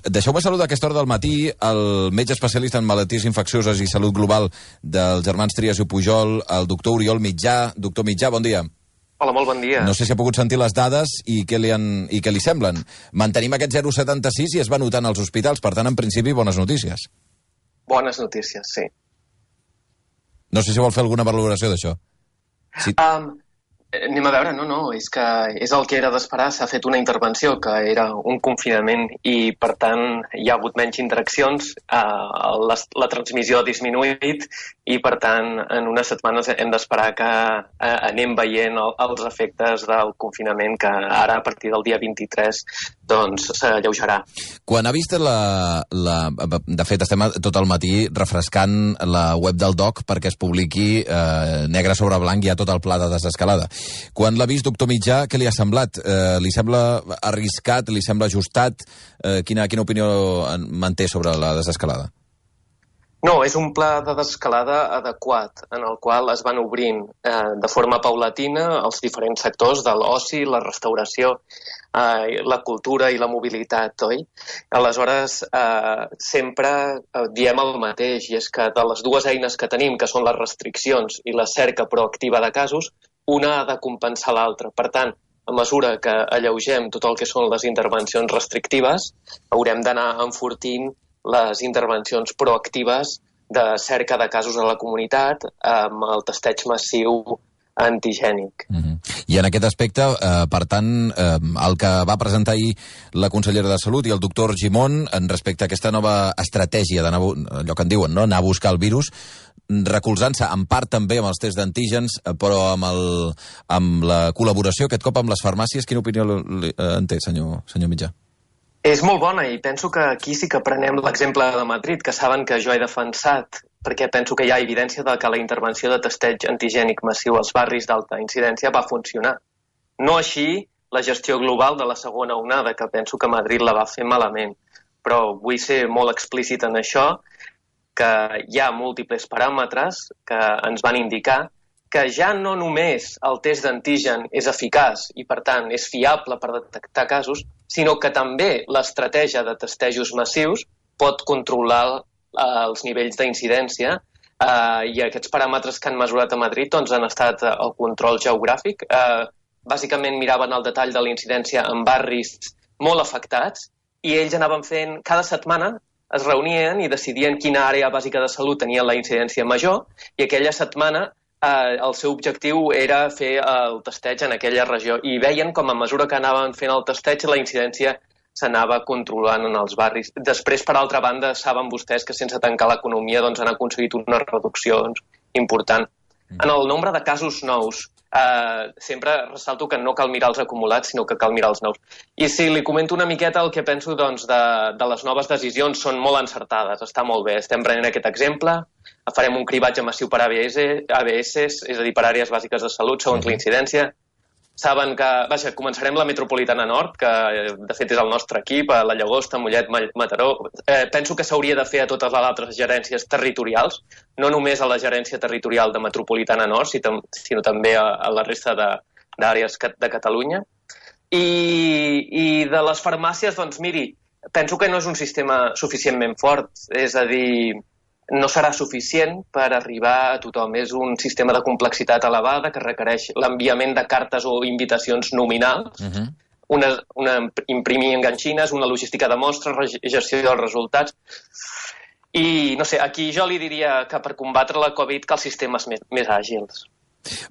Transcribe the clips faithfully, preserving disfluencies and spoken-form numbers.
Deixeu-me saludar a aquesta hora del matí el metge especialista en malalties infeccioses i salut global dels germans Trias i Pujol, el doctor Oriol Mitjà. Doctor Mitjà, bon dia. Hola, molt bon dia. No sé si ha pogut sentir les dades i què li, han, i què li semblen. Mantenim aquest zero coma setanta sis i es va notant als hospitals, per tant, en principi, bones notícies. Bones notícies, sí. No sé si vol fer alguna valoració d'això. Sí. Um, anem a veure, no, no, és que és el que era d'esperar, s'ha fet una intervenció que era un confinament i, per tant, hi ha hagut menys interaccions, uh, la, la transmissió ha disminuït i, per tant, en unes setmanes hem d'esperar que uh, anem veient el, els efectes del confinament que ara, a partir del dia vint-i-tres, doncs s'alleujarà. Quan ha vist la, la... De fet, estem tot el matí refrescant la web del D O C perquè es publiqui eh, negre sobre blanc ja tot el pla de desescalada. Quan l'ha vist, doctor Mitjà, què li ha semblat? Eh, li sembla arriscat? Li sembla ajustat? Eh, quina, quina opinió manté sobre la desescalada? No, és un pla de desescalada adequat, en el qual es van obrint eh, de forma paulatina els diferents sectors de l'oci, la restauració, eh, la cultura i la mobilitat, oi? Aleshores, eh, sempre eh, diem el mateix, i és que de les dues eines que tenim, que són les restriccions i la cerca proactiva de casos, una ha de compensar l'altra. Per tant, a mesura que alleugem tot el que són les intervencions restrictives, haurem d'anar enfortint les intervencions proactives de cerca de casos a la comunitat amb el testeig massiu antigènic. Mm-hmm. I en aquest aspecte, eh, per tant, eh, el que va presentar ahir la consellera de Salut i el doctor Gimón en respecte a aquesta nova estratègia d'anar, allò que en diuen, no? anar a buscar el virus, recolzant-se en part també amb els tests d'antígens, però amb, el, amb la col·laboració aquest cop amb les farmàcies. Quina opinió en té, senyor, senyor Mitjà? És molt bona i penso que aquí sí que prenem l'exemple de Madrid, que saben que jo he defensat, perquè penso que hi ha evidència de que la intervenció de testeig antigènic massiu als barris d'alta incidència va funcionar. No així la gestió global de la segona onada, que penso que Madrid la va fer malament. Però vull ser molt explícit en això, que hi ha múltiples paràmetres que ens van indicar que ja no només el test d'antigen és eficaç i, per tant, és fiable per detectar casos, sinó que també l'estratègia de testejos massius pot controlar eh, els nivells d'incidència eh, i aquests paràmetres que han mesurat a Madrid doncs, han estat eh, el control geogràfic. Eh, bàsicament miraven el detall de la incidència en barris molt afectats i ells anaven fent cada setmana es reunien i decidien quina àrea bàsica de salut tenia la incidència major i aquella setmana eh, el seu objectiu era fer el testeig en aquella regió i veien com a mesura que anaven fent el testeig la incidència s'anava controlant en els barris. Després, per altra banda, saben vostès que sense tancar l'economia doncs, han aconseguit unes reduccions importants. En el nombre de casos nous, eh, sempre ressalto que no cal mirar els acumulats, sinó que cal mirar els nous. I si li comento una miqueta el que penso doncs, de, de les noves decisions són molt encertades, està molt bé. Estem prenent aquest exemple, farem un cribatge massiu per A B S, A B S, és a dir, per àrees bàsiques de salut, segons la incidència. Saben que, vaja, començarem la Metropolitana Nord, que de fet és el nostre equip, a la Llagosta, Mollet, Mataró. Eh, penso que s'hauria de fer a totes les altres gerències territorials, no només a la gerència territorial de Metropolitana Nord, sinó també a, a la resta d'àrees de Catalunya. I, I de les farmàcies, doncs miri, penso que no és un sistema suficientment fort, és a dir, no serà suficient per arribar a tothom. És un sistema de complexitat elevada que requereix l'enviament de cartes o invitacions nominals, uh-huh. una, una imprimir enganxines, una logística de mostres, gestió dels resultats. I, no sé, aquí jo li diria que per combatre la Covid cal sistemes més, més àgils.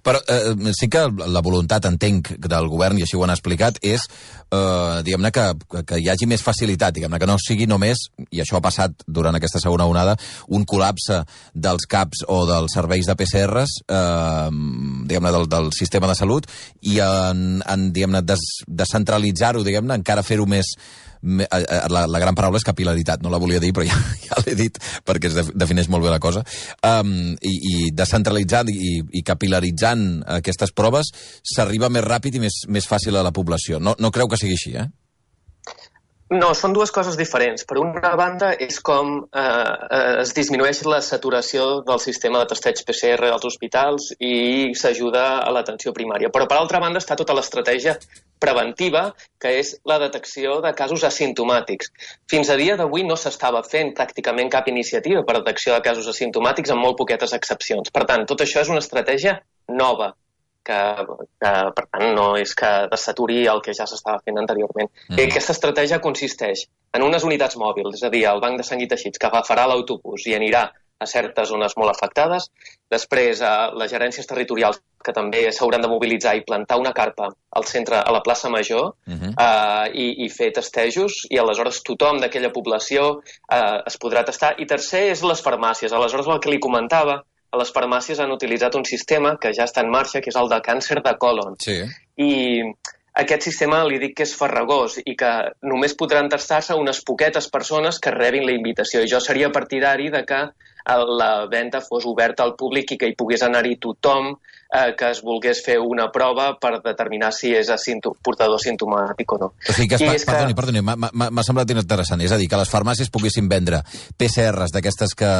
Però eh, sí que la voluntat, entenc, del govern, i així ho han explicat, és, eh, diguem-ne, que, que hi hagi més facilitat, diguem-ne, que no sigui només, i això ha passat durant aquesta segona onada, un col·lapse dels CAPs o dels serveis de P C Rs, eh, diguem-ne, del, del sistema de salut, i en, en diguem-ne, des, descentralitzar-ho, diguem-ne, encara fer-ho més... La, la gran paraula és capil·laritat, no la volia dir, però ja, ja l'he dit perquè es defineix molt bé la cosa. Um, i, i descentralitzant i, i capil·laritzant aquestes proves, s'arriba més ràpid i més, més fàcil a la població. No, no creu que sigui així, eh? No, són dues coses diferents. Per una banda, és com eh, es disminueix la saturació del sistema de testeig P C R als hospitals i s'ajuda a l'atenció primària. Però, per altra banda, està tota l'estratègia preventiva, que és la detecció de casos asimptomàtics. Fins a dia d'avui no s'estava fent pràcticament cap iniciativa per detecció de casos asimptomàtics, amb molt poquetes excepcions. Per tant, tot això és una estratègia nova, que, que per tant no és que desaturi el que ja s'estava fent anteriorment. Mm. I aquesta estratègia consisteix en unes unitats mòbils, és a dir, el banc de sang i teixits, que agafarà l'autobús i anirà a certes zones molt afectades, després a les gerències territorials, que també s'hauran de mobilitzar i plantar una carpa al centre, a la plaça Major, uh-huh. eh, i, i fer testejos, i aleshores tothom d'aquella població eh, es podrà testar. I tercer és les farmàcies. Aleshores, el que li comentava, a les farmàcies han utilitzat un sistema que ja està en marxa, que és el de càncer de còlon. Sí. I aquest sistema li dic que és farragós i que només podran tastar-se unes poquetes persones que rebin la invitació. I jo seria partidari de que la venda fos oberta al públic i que hi pogués anar-hi tothom eh, que es volgués fer una prova per determinar si és portador simptomàtic o no. O sigui que, es, és perdoni, que... perdoni, m'ha semblat interessant. És a dir, que les farmàcies poguessin vendre P C Rs d'aquestes que,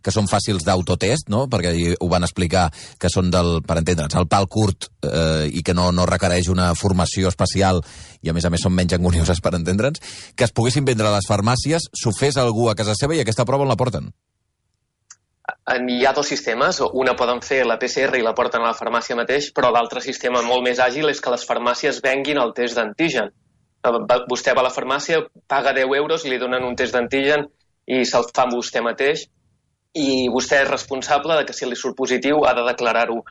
que són fàcils d'autotest, no? Perquè ho van explicar, que són del, per entendre'ns, el pal curt eh, i que no, no requereix una formació especial i a més a més són menys angonioses, per entendre'ns, que es poguessin vendre a les farmàcies, s'ho fes algú a casa seva i aquesta prova on la porten? Hi ha dos sistemes, una poden fer la P C R i la porten a la farmàcia mateix, però l'altre sistema molt més àgil és que les farmàcies venguin el test d'antigen. Vostè va a la farmàcia, paga deu euros i li donen un test d'antigen i se'l fa amb vostè mateix, i vostè és responsable de que si li surt positiu ha de declarar-ho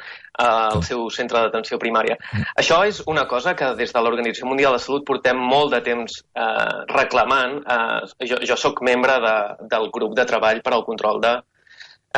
al seu centre d'atenció primària. Això és una cosa que des de l'Organització Mundial de Salut portem molt de temps eh, reclamant. Eh, jo, jo soc membre de, del grup de treball per al control de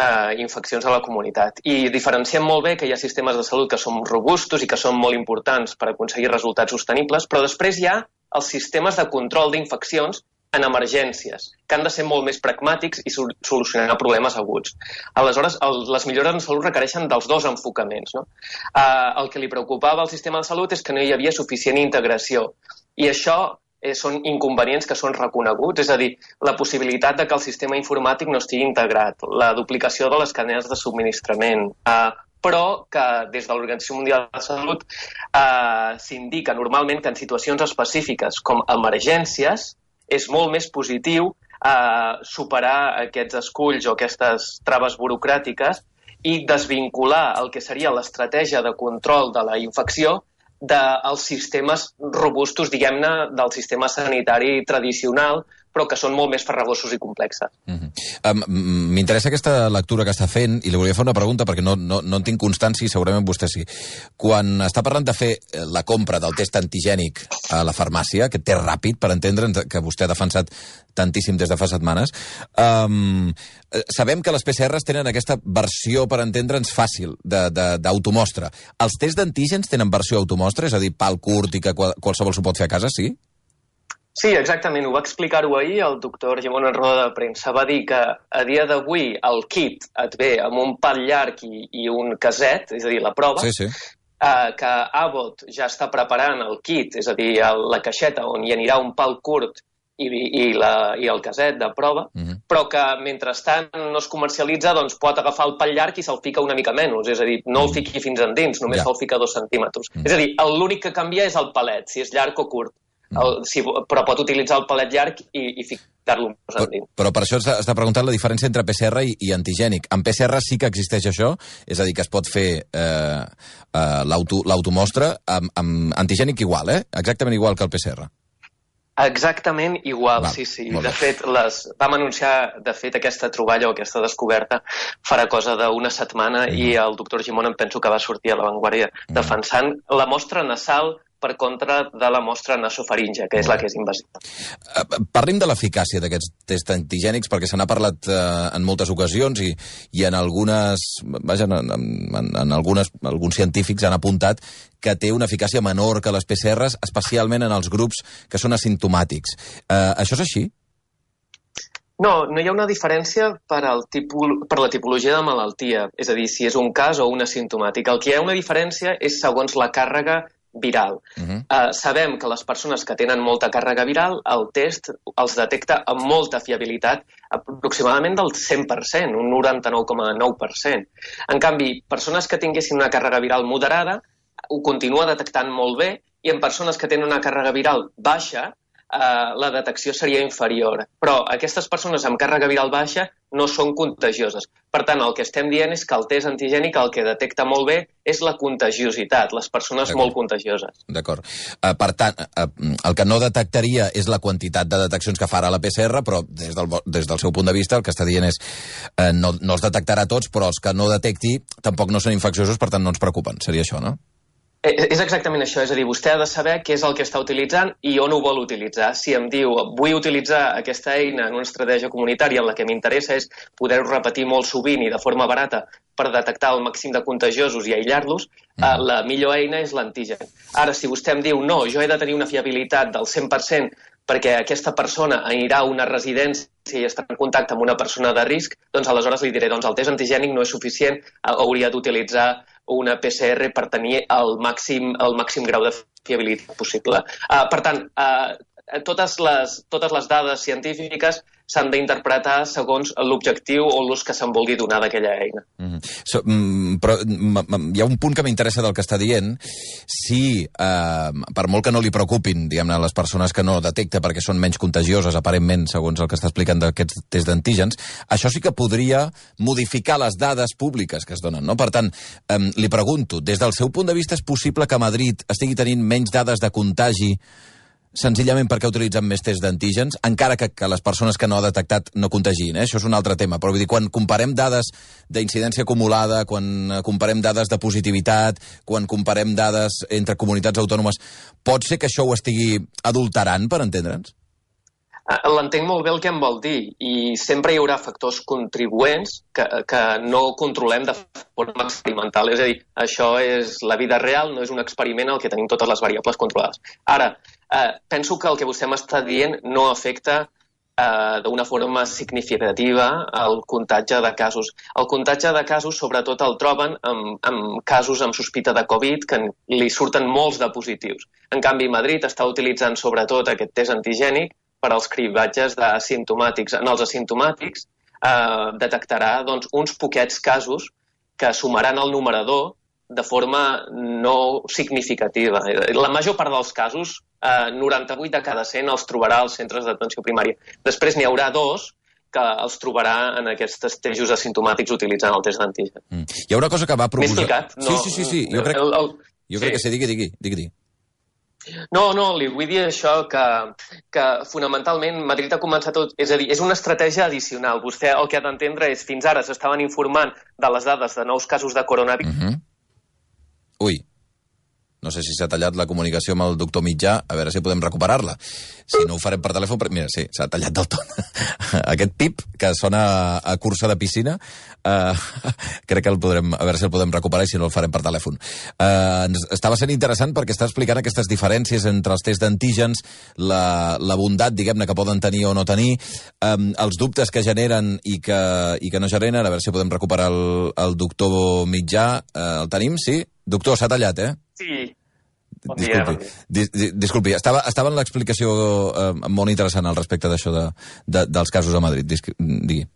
Uh, infeccions a la comunitat. I diferenciem molt bé que hi ha sistemes de salut que són robustos i que són molt importants per aconseguir resultats sostenibles, però després hi ha els sistemes de control d'infeccions en emergències, que han de ser molt més pragmàtics i solucionar problemes aguts. Aleshores, el, les millores en salut requereixen dels dos enfocaments, no? Uh, el que li preocupava al sistema de salut és que no hi havia suficient integració. I això Eh, són inconvenients que són reconeguts, és a dir, la possibilitat de que el sistema informàtic no estigui integrat, la duplicació de les cadenes de subministrament, eh, però que des de l'Organització Mundial de la Salut eh, s'indica normalment que en situacions específiques com emergències és molt més positiu eh, superar aquests esculls o aquestes traves burocràtiques i desvincular el que seria l'estratègia de control de la infecció dels sistemes robustos, diguem-ne, del sistema sanitari tradicional, però que són molt més farragosos i complexes. Mm-hmm. um, M'interessa aquesta lectura que està fent i li volia fer una pregunta perquè no, no, no en tinc constància i segurament vostè sí. Quan està parlant de fer la compra del test antigènic a la farmàcia, aquest test ràpid, per entendre'ns, que vostè ha defensat tantíssim des de fa setmanes, um, sabem que les P C Rs tenen aquesta versió, per entendre'ns, fàcil d'automostra. Els tests d'antígens tenen versió automostra, és a dir, pal curt i que qualsevol s'ho pot fer a casa, sí? Sí, exactament. Ho va explicar-ho ahir el doctor Gimón en roda de premsa. Va dir que a dia d'avui el kit et ve amb un pal llarg i, i un caset, és a dir, la prova, sí, sí. Eh, que Abbott ja està preparant el kit, és a dir, el, la caixeta on hi anirà un pal curt i, i, la, i el caset de prova, mm-hmm. però que mentrestant no es comercialitza, doncs pot agafar el pal llarg i se'l fica una mica menys, és a dir, no el fiqui fins endins, només ja. se'l fica dos centímetres. Mm. És a dir, l'únic que canvia és el palet, si és llarg o curt. El, si, però pot utilitzar el palet llarg i, i ficar-lo més endins. Però, però per això està preguntant la diferència entre P C R i, i antigènic. En P C R sí que existeix això, és a dir, que es pot fer eh, eh, l'automostra amb, amb antigènic igual, eh? Exactament igual que el P C R. Exactament igual, Val, sí, sí. De fet, les, vam anunciar, de fet, aquesta troballa o aquesta descoberta farà cosa d'una setmana mm. i el doctor Gimón em penso que va sortir a l'avantguàrdia mm. defensant la mostra nasal per contra de la mostra nasofaringe, que és la que és invasiva. Parlim de l'eficàcia d'aquests tests antigènics, perquè se n'ha parlat eh, en moltes ocasions i, i en algunes, vaja, en, en, en algunes, alguns científics han apuntat que té una eficàcia menor que les P C Rs, especialment en els grups que són asimptomàtics. Eh, això és així? No, no hi ha una diferència per, al tipul, per la tipologia de malaltia, és a dir, si és un cas o un asimptomàtic. El que hi ha una diferència és segons la càrrega viral. Uh -huh. uh, sabem que les persones que tenen molta càrrega viral, el test els detecta amb molta fiabilitat, aproximadament del cent per cent, un noranta-nou coma nou per cent. En canvi, persones que tinguessin una càrrega viral moderada ho continua detectant molt bé, i en persones que tenen una càrrega viral baixa, Uh, la detecció seria inferior. Però aquestes persones amb càrrega viral baixa no són contagioses. Per tant, el que estem dient és que el test antigènic el que detecta molt bé és la contagiositat, les persones molt contagioses. D'acord. Uh, per tant, uh, el que no detectaria és la quantitat de deteccions que farà la P C R, però des del, des del seu punt de vista el que està dient és uh, no, no els detectarà tots, però els que no detecti tampoc no són infecciosos, per tant no ens preocupen. Seria això, no? És exactament això, és a dir, vostè ha de saber què és el que està utilitzant i on ho vol utilitzar. Si em diu, vull utilitzar aquesta eina en una estratègia comunitària en la que m'interessa és poder-ho repetir molt sovint i de forma barata per detectar el màxim de contagiosos i aïllar-los, mm. eh, la millor eina és l'antigen. Ara, si vostè em diu, no, jo he de tenir una fiabilitat del cent per cent perquè aquesta persona anirà a una residència i estarà en contacte amb una persona de risc, doncs aleshores li diré, doncs el test antigènic no és suficient, hauria d'utilitzar una P C R per tenir el màxim, el màxim grau de fiabilitat possible. Uh, per tant, uh, totes, les, totes les dades científiques s'han d'interpretar segons l'objectiu o l'ús que se'n vulgui donar d'aquella eina. Mm-hmm. so, mm, però mm, hi ha un punt que m'interessa del que està dient. Si, eh, per molt que no li preocupin, diguem-ne, les persones que no detecta perquè són menys contagioses, aparentment, segons el que està explicant d'aquests tests d'antígens, això sí que podria modificar les dades públiques que es donen, no? Per tant, eh, li pregunto, des del seu punt de vista és possible que Madrid estigui tenint menys dades de contagi senzillament perquè utilitzen més tests d'antígens, encara que, que les persones que no ha detectat no contagin, eh? Això és un altre tema, però vull dir, quan comparem dades d'incidència acumulada, quan comparem dades de positivitat, quan comparem dades entre comunitats autònomes, pot ser que això ho estigui adulterant, per entendre'ns? L'entenc molt bé el que em vol dir, i sempre hi haurà factors contribuents que, que no controlem de forma experimental. És a dir, això és la vida real, no és un experiment en el que tenim totes les variables controlades. Ara, eh, penso que el que vostè m'està dient no afecta eh, d'una forma significativa el comptatge de casos. El comptatge de casos sobretot el troben amb, amb casos amb sospita de Covid que li surten molts de positius. En canvi, Madrid està utilitzant sobretot aquest test antigènic per als cribatges asimptomàtics. En els asimptomàtics eh, detectarà doncs, uns poquets casos que sumaran el numerador de forma no significativa. La major part dels casos, eh, noranta-vuit de cada cent, els trobarà als centres d'atenció primària. Després n'hi haurà dos que els trobarà en aquests testos asimptomàtics utilitzant el test d'antigen. Mm. Hi ha una cosa que va proposar... M'he explicat? No, sí, sí, sí, sí. Jo crec, el, el... jo crec sí. que sí, digui, digui, digui. No, no, li vull dir això, que, que fonamentalment Madrid ha començat tot... És a dir, és una estratègia addicional. Vostè el que ha d'entendre és, fins ara s'estaven informant de les dades de nous casos de coronavirus. Uh-huh. Ui, no sé si s'ha tallat la comunicació amb el doctor Mitjà, a veure si podem recuperar-la. Si no ho farem per telèfon, però... mira, sí, s'ha tallat del tot. Aquest pip que sona a cursa de piscina, uh, crec que el podrem, a veure si el podem recuperar i si no el farem per telèfon. Uh, estava sent interessant perquè està explicant aquestes diferències entre els tests d'antígens, la, la bondat, diguem-ne, que poden tenir o no tenir, um, els dubtes que generen i que, i que no generen, a veure si podem recuperar el, el doctor Mitjà. Uh, el tenim, sí? Doctor, s'ha tallat, eh? Sí. Bon disculpi, dia. Dis, disculpi, estava, estava en l'explicació eh, molt interessant al respecte d'això de, de, dels casos a Madrid. Dis, digui.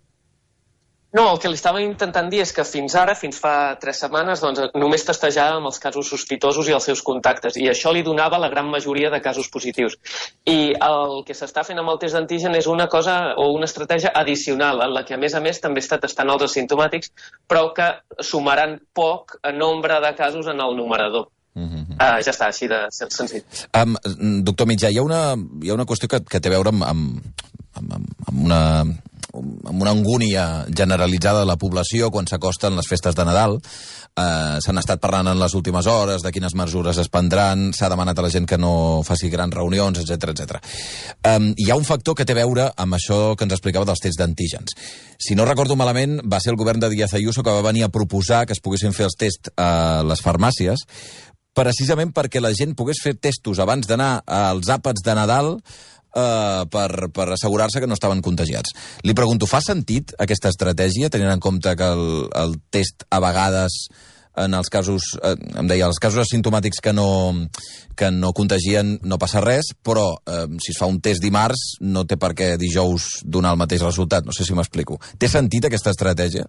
No, el que li estava intentant dir és que fins ara, fins fa tres setmanes, doncs, només testejàvem els casos sospitosos i els seus contactes, i això li donava la gran majoria de casos positius. I el que s'està fent amb el test d'antigen és una cosa o una estratègia addicional, en la que a més a més també està testant els asimptomàtics, però que sumaran poc en nombre de casos en el numerador. Uh-huh. Uh, ja està, així de senzill. Um, doctor Mitjà, hi ha una, hi ha una qüestió que, que té a veure amb, amb, amb, amb una... amb una angúnia generalitzada de la població quan s'acosten les festes de Nadal. Eh, s'han estat parlant en les últimes hores de quines mesures es prendran, s'ha demanat a la gent que no faci grans reunions, etcètera, etcètera. Eh, hi ha un factor que té a veure amb això que ens explicava dels tests d'antígens. Si no recordo malament, va ser el govern de Díaz Ayuso que va venir a proposar que es poguessin fer els tests a les farmàcies, precisament perquè la gent pogués fer testos abans d'anar als àpats de Nadal Uh, per, per assegurar-se que no estaven contagiats. Li pregunto, fa sentit aquesta estratègia, tenint en compte que el, el test a vegades en els casos, eh, em deia, els casos asimptomàtics que no, que no contagien no passa res, però eh, si es fa un test dimarts no té per què dijous donar el mateix resultat. No sé si m'explico. Té sentit aquesta estratègia?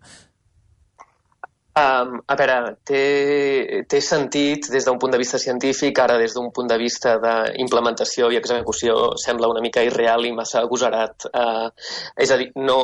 Um, a veure, té, té sentit des d'un punt de vista científic, ara des d'un punt de vista d'implementació i execució sembla una mica irreal i massa agosarat. Uh, és a dir, no,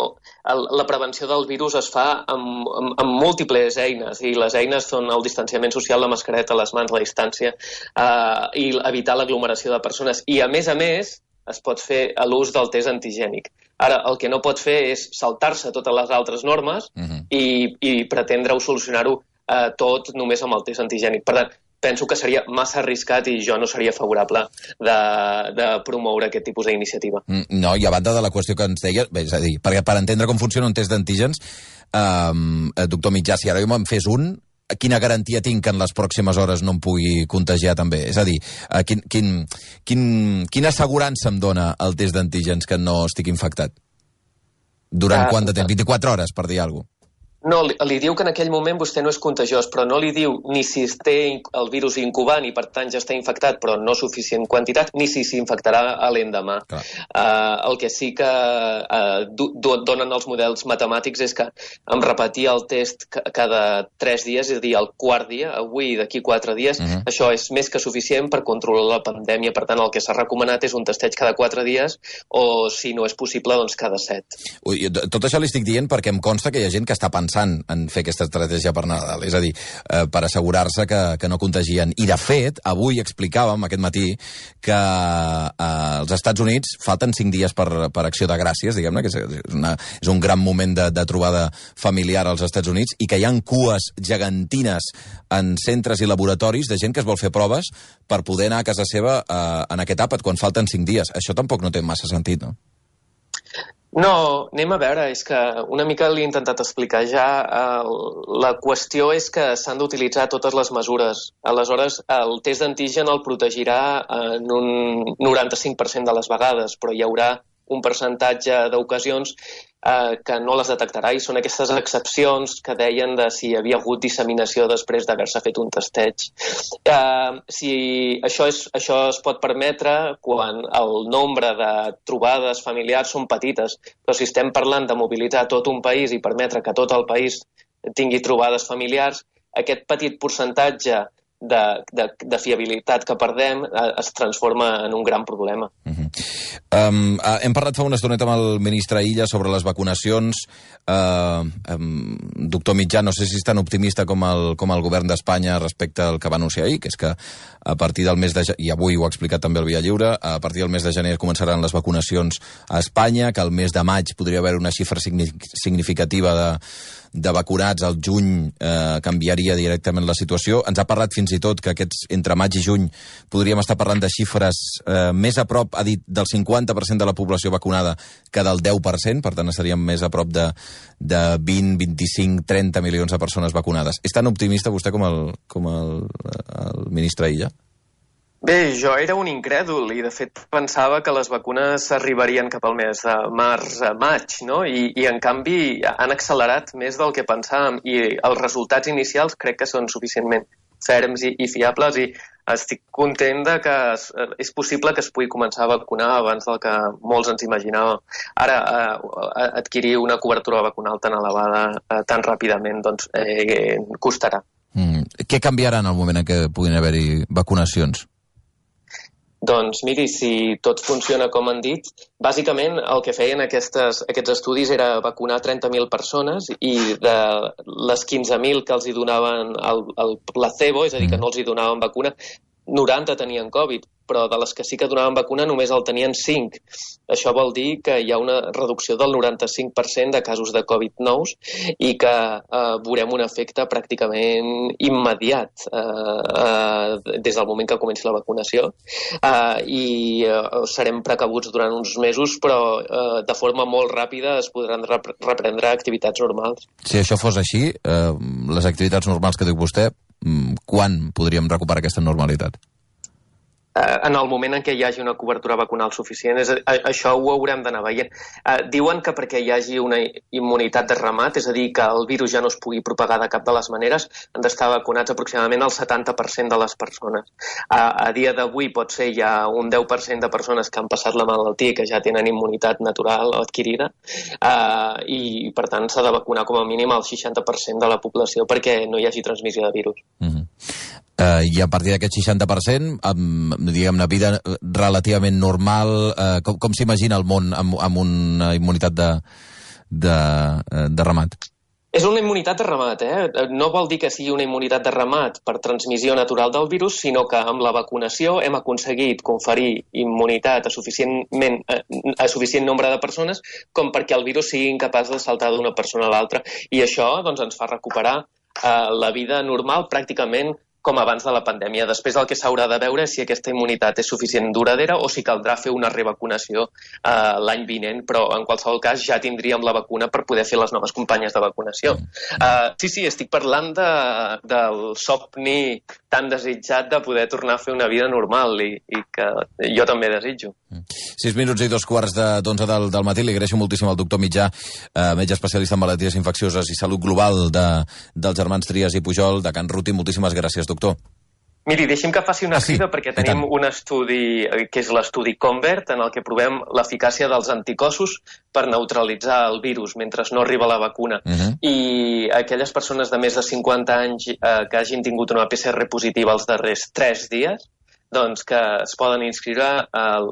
el, la prevenció del virus es fa amb, amb, amb múltiples eines, i les eines són el distanciament social, la mascareta, les mans, la distància, uh, i evitar l'aglomeració de persones. I a més a més, es pot fer a l'ús del test antigènic. Ara, el que no pot fer és saltar-se totes les altres normes uh-huh. i, i pretendre-ho solucionar-ho eh, tot només amb el test antigènic. Per tant, penso que seria massa arriscat i jo no seria favorable de, de promoure aquest tipus d'iniciativa. No, i a banda de la qüestió que ens deia, bé, és a dir, perquè per entendre com funciona un test d'antígens, eh, doctor Mitjà, si ara jo me'n fes un, quina garantia tinc que en les pròximes hores no em pugui contagiar també? És a dir, quin, quin, quin, quina assegurança em dona el test d'antígens que no estic infectat? Durant quant de temps? vint-i-quatre hores, per dir alguna cosa. No, li, li diu que en aquell moment vostè no és contagiós, però no li diu ni si té el virus incubant i per tant ja està infectat, però no suficient quantitat, ni si s'infectarà a l'endemà. Uh, el que sí que uh, do, donen els models matemàtics és que amb repetir el test cada tres dies, és a dir, el quart dia, avui i d'aquí quatre dies, uh-huh. això és més que suficient per controlar la pandèmia. Per tant, el que s'ha recomanat és un testeig cada quatre dies o, si no és possible, doncs cada set. Ui, tot això li estic dient perquè em consta que hi ha gent que està pensant en fer aquesta estratègia per Nadal, és a dir, eh, per assegurar-se que, que no contagien. I, de fet, avui explicàvem, aquest matí, que eh, als Estats Units falten cinc dies per, per Acció de Gràcies, diguem-ne, que és, una, és un gran moment de, de trobada familiar als Estats Units, i que hi ha cues gegantines en centres i laboratoris de gent que es vol fer proves per poder anar a casa seva eh, en aquest àpat, quan falten cinc dies. Això tampoc no té massa sentit, no? No, anem a veure, és que una mica l'he intentat explicar ja. La qüestió és que s'han d'utilitzar totes les mesures. Aleshores, el test d'antigen el protegirà en un noranta-cinc per cent de les vegades, però hi haurà un percentatge d'ocasions eh, que no les detectarà, i són aquestes excepcions que deien de si hi havia hagut disseminació després d'haver-se fet un testeig. Eh, si això, és, això es pot permetre quan el nombre de trobades familiars són petites, però si estem parlant de mobilitzar tot un país i permetre que tot el país tingui trobades familiars, aquest petit percentatge De, de, de fiabilitat que perdem eh, es transforma en un gran problema. Uh-huh. um, uh, hem parlat fa una estoneta amb el ministre Illa sobre les vacunacions. Uh, um, doctor Mitjà, no sé si és tan optimista com el, com el govern d'Espanya respecte al que va anunciar ahir, que és que a partir del mes de gener, i avui ho ha explicat també el Via Lliure, a partir del mes de gener començaran les vacunacions a Espanya, que al mes de maig podria haver una xifra significativa de de vacunats, al juny eh, canviaria directament la situació. Ens ha parlat fins i tot que aquests entre maig i juny podríem estar parlant de xifres eh, més a prop, ha dit, del cinquanta per cent de la població vacunada que del deu per cent, per tant estaríem més a prop de, de vint, vint-i-cinc, trenta milions de persones vacunades. És tan optimista vostè com el, com el, el ministre Illa? Bé, jo era un incrèdul i, de fet, pensava que les vacunes arribarien cap al mes de març a maig, no? I, i en canvi, han accelerat més del que pensàvem i els resultats inicials crec que són suficientment ferms i, i fiables, i estic content de que es, és possible que es pugui començar a vacunar abans del que molts ens imaginàvem. Ara, eh, adquirir una cobertura vacunal tan elevada eh, tan ràpidament, doncs, eh, costarà. Mm. Què canviarà en el moment en què puguin haver-hi vacunacions? Doncs miri, si tot funciona com han dit, bàsicament el que feien aquestes, aquests estudis era vacunar trenta mil persones i de les quinze mil que els hi donaven el, el placebo, és a dir, que no els hi donaven vacuna, noranta tenien Covid, però de les que sí que donaven vacuna només el tenien cinc. Això vol dir que hi ha una reducció del noranta-cinc per cent de casos de Covid nous i que eh, veurem un efecte pràcticament immediat eh, eh, des del moment que comenci la vacunació eh, i eh, serem precabuts durant uns mesos, però eh, de forma molt ràpida es podran rep reprendre activitats normals. Si això fos així, eh, les activitats normals que diu vostè, quan podríem recuperar aquesta normalitat? en el moment en què hi hagi una cobertura vacunal suficient. És, això ho haurem d'anar veient. Eh, diuen que perquè hi hagi una immunitat de remat, és a dir, que el virus ja no es pugui propagar de cap de les maneres, han d'estar vacunats aproximadament el setanta per cent de les persones. A, a dia d'avui pot ser ja un deu per cent de persones que han passat la malaltia i que ja tenen immunitat natural o adquirida, eh, i per tant s'ha de vacunar com a mínim el seixanta per cent de la població perquè no hi hagi transmissió de virus. Mm-hmm. Uh, I a partir d'aquest seixanta per cent, amb, diguem-ne, vida relativament normal, uh, com, com s'imagina el món amb, amb una immunitat de, de, de ramat? És una immunitat de ramat, eh? No vol dir que sigui una immunitat de ramat per transmissió natural del virus, sinó que amb la vacunació hem aconseguit conferir immunitat a, suficientment, a suficient nombre de persones com perquè el virus sigui incapaç de saltar d'una persona a l'altra. I això doncs, ens fa recuperar eh, la vida normal pràcticament com abans de la pandèmia. Després el que s'haurà de veure és si aquesta immunitat és suficient duradera o si caldrà fer una revacunació eh, l'any vinent, però en qualsevol cas ja tindríem la vacuna per poder fer les noves campanyes de vacunació. Uh, sí, sí, estic parlant de, del somni tan desitjat de poder tornar a fer una vida normal i, i que jo també desitjo. Sis minuts i dos quarts d'onze del, del matí. Li agraeixo moltíssim al doctor Mitjà, eh, metge especialista en malalties infeccioses i salut global de, dels germans Trias i Pujol, de Can Ruti. Moltíssimes gràcies, doctor. Miri, deixi'm que faci una ah, sí? crida perquè tenim un estudi que és l'estudi CONVERT, en el que provem l'eficàcia dels anticossos per neutralitzar el virus mentre no arriba la vacuna. Uh-huh. I aquelles persones de més de cinquanta anys eh, que hagin tingut una P C R positiva els darrers tres dies, doncs que es poden inscriure al,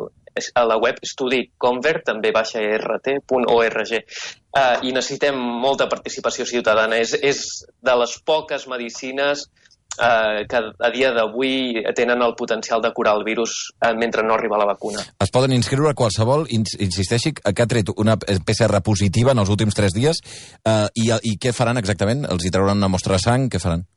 a la web estudi convert, també baixa e erre te punt org. Uh, I necessitem molta participació ciutadana. És, és de les poques medicines uh, que a dia d'avui tenen el potencial de curar el virus uh, mentre no arriba la vacuna. Es poden inscriure qualsevol, ins insisteixi, que ha tret una P C R positiva en els últims tres dies, uh, i, i què faran exactament? Els hi trauran una mostra de sang? Què faran?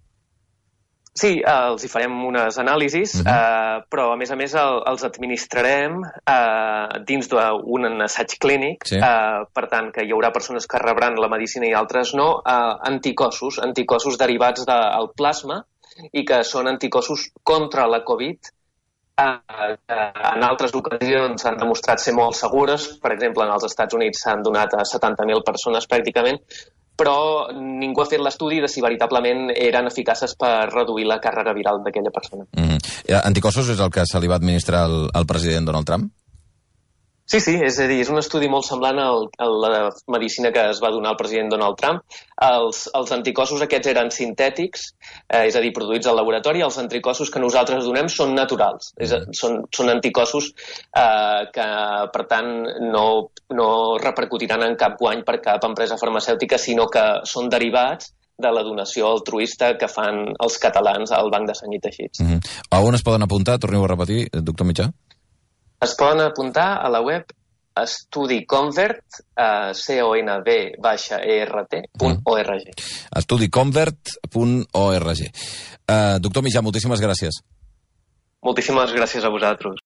Sí, eh, els hi farem unes anàlisis, uh-huh. eh, però a més a més el, els administrarem eh, dins d'un assaig clínic, sí. eh, per tant que hi haurà persones que rebran la medicina i altres no, eh, anticossos, anticossos derivats del plasma i que són anticossos contra la Covid, eh, que en altres ocasions s'han demostrat ser molt segures, per exemple en els Estats Units s'han donat a setanta mil persones pràcticament, però ningú ha fet l'estudi de si veritablement eren eficaces per reduir la càrrega viral d'aquella persona. Mm-hmm. Anticossos és el que se li va administrar al, al president Donald Trump? Sí, sí, és a dir, és un estudi molt semblant al, a la medicina que es va donar al president Donald Trump. Els, els anticossos aquests eren sintètics, eh, és a dir, produïts al laboratori. Els anticossos que nosaltres donem són naturals, és a, són, són anticossos eh, que, per tant, no, no repercutiran en cap guany per cap empresa farmacèutica, sinó que són derivats de la donació altruista que fan els catalans al Banc de Sang i Teixits. Mm-hmm. A on es poden apuntar? Torneu a repetir, doctor Mitjà. Es poden apuntar a la web estudi convert, uh, C O N V baixa E R T punt org. estudi convert punt org. Uh, doctor Mitjà, moltíssimes gràcies. Moltíssimes gràcies a vosaltres.